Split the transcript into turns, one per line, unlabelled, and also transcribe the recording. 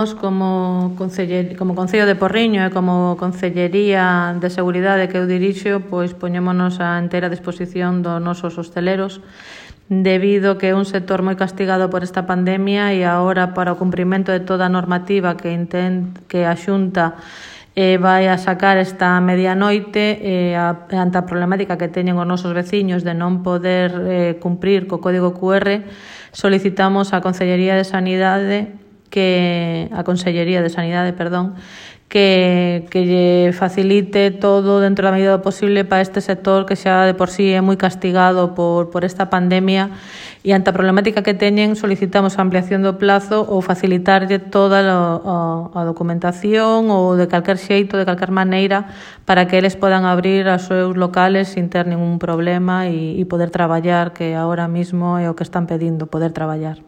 Como Concello de Porriño e como Concellería de Seguridade que eu dirixo, pois poñémonos a entera disposición dos nosos hosteleros debido que é un sector moi castigado por esta pandemia e agora para o cumprimento de toda a normativa que a Xunta vai a sacar esta medianoite ante a problemática que teñen os nosos veciños de non poder cumprir co código QR, solicitamos á Consellería de Sanidade que lle facilite todo dentro da medida do posible para este sector que xa de por sí é moi castigado por esta pandemia e ante a problemática que teñen solicitamos a ampliación do plazo ou facilitarlle toda a documentación ou de calquer xeito, de calquer maneira para que eles podan abrir os seus locales sin ter ningún problema e poder traballar, que agora mismo é o que están pedindo, poder traballar.